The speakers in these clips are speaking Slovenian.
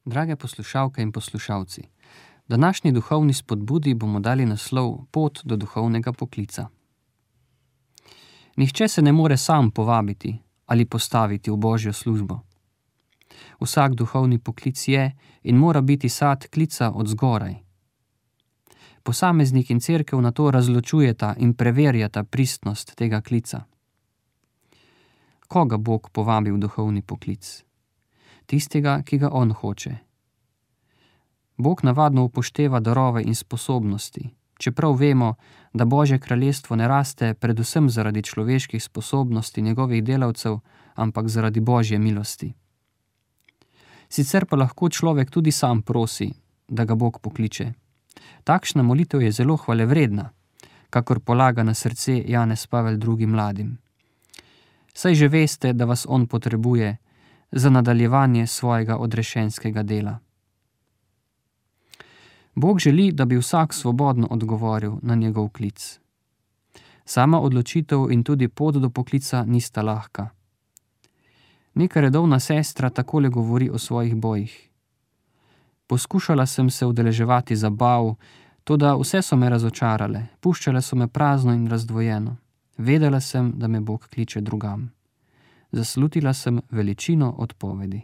Drage poslušalke in poslušalci, današnji duhovni spodbudi bomo dali naslov Pot do duhovnega poklica. Nihče se ne more sam povabiti ali postaviti v Božjo službo. Vsak duhovni poklic je in mora biti sad klica od zgoraj. Posameznik in cerkev na to razločujeta in preverjata pristnost tega klica. Koga Bog povabi v duhovni poklic? Tistega, ki ga on hoče. Bog navadno upošteva darove in sposobnosti, čeprav vemo, da Božje kraljestvo ne raste predvsem zaradi človeških sposobnosti njegovih delavcev, ampak zaradi Božje milosti. Sicer pa lahko človek tudi sam prosi, da ga Bog pokliče. Takšna molitev je zelo hvalevredna, kakor polaga na srce Janez Pavel II. Mladim. Saj že veste, da vas on potrebuje za nadaljevanje svojega odrešenskega dela. Bog želi, da bi vsak svobodno odgovoril na njegov klic. Sama odločitev in tudi pot do poklica nista lahka. Neka redovna sestra takole govori o svojih bojih. Poskušala sem se udeleževati zabav, toda vse so me razočarale, puščale so me prazno in razdvojeno. Vedela sem, da me Bog kliče drugam. Zaslutila sem veličino odpovedi.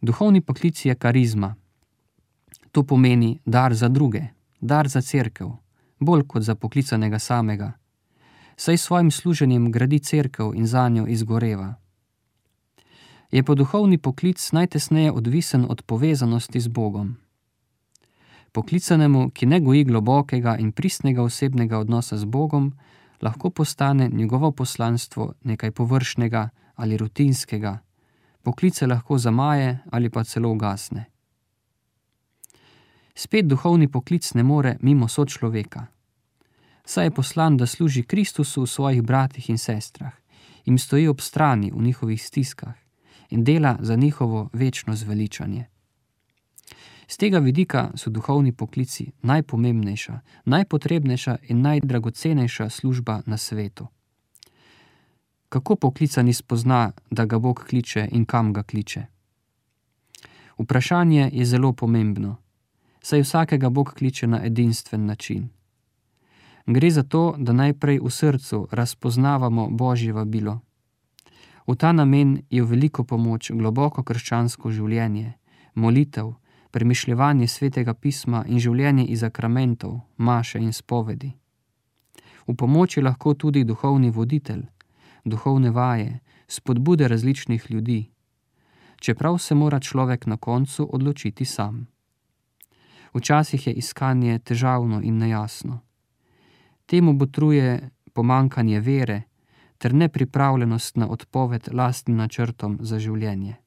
Duhovni poklic je karizma. To pomeni dar za druge, dar za cerkev, bolj kot za poklicanega samega. Saj svojim služenjem gradi cerkev in zanjo izgoreva. Je pa duhovni poklic najtesneje odvisen od povezanosti z Bogom. Poklicanemu, ki ne goji globokega in pristnega osebnega odnosa z Bogom, lahko postane njegovo poslanstvo nekaj površnega ali rutinskega, poklice lahko zamaje ali pa celo ugasne. Spet duhovni poklic ne more mimo sočloveka. Saj je poslan, da služi Kristusu v svojih bratih in sestrah, jim stoji ob strani v njihovih stiskah in dela za njihovo večno zveličanje. Z tega vidika so duhovni poklici najpomembnejša, najpotrebnejša in najdragocenejša služba na svetu. Kako poklicani spozna, da ga Bog kliče in kam ga kliče? Vprašanje je zelo pomembno, saj vsakega Bog kliče na edinstven način. Gre za to, da najprej v srcu razpoznavamo Božje vabilo. V ta namen je v veliko pomoč globoko krščansko življenje, molitev, premišljevanje svetega pisma in življenje iz sakramentov, maše in spovedi. V pomoč je lahko tudi duhovni voditelj, duhovne vaje, spodbude različnih ljudi, čeprav se mora človek na koncu odločiti sam. Včasih je iskanje težavno in nejasno. Temu botruje pomanjkanje vere ter nepripravljenost na odpoved lastnim načrtom za življenje.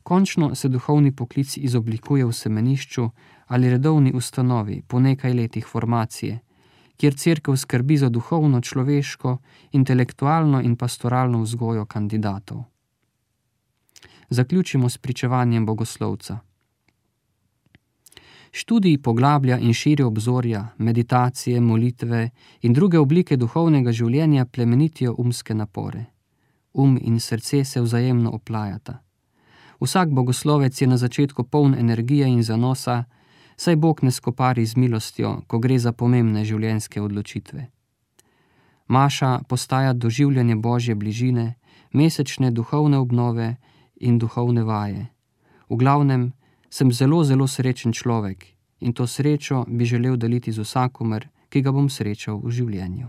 Končno se duhovni poklic izoblikuje v semenišču ali redovni ustanovi po nekaj letih formacije, kjer cerkev skrbi za duhovno, človeško, intelektualno in pastoralno vzgojo kandidatov. Zaključimo s pričevanjem bogoslovca. Študij poglablja in širi obzorja, meditacije, molitve in druge oblike duhovnega življenja plemenitijo umske napore. In srce se vzajemno oplajata. Vsak bogoslovec je na začetku poln energije in zanosa, saj Bog ne skopari z milostjo, ko gre za pomembne življenjske odločitve. Maša postaja doživljanje Božje bližine, mesečne duhovne obnove in duhovne vaje. V glavnem, sem zelo, zelo srečen človek in to srečo bi želel deliti z vsakomer, ki ga bom srečal v življenju.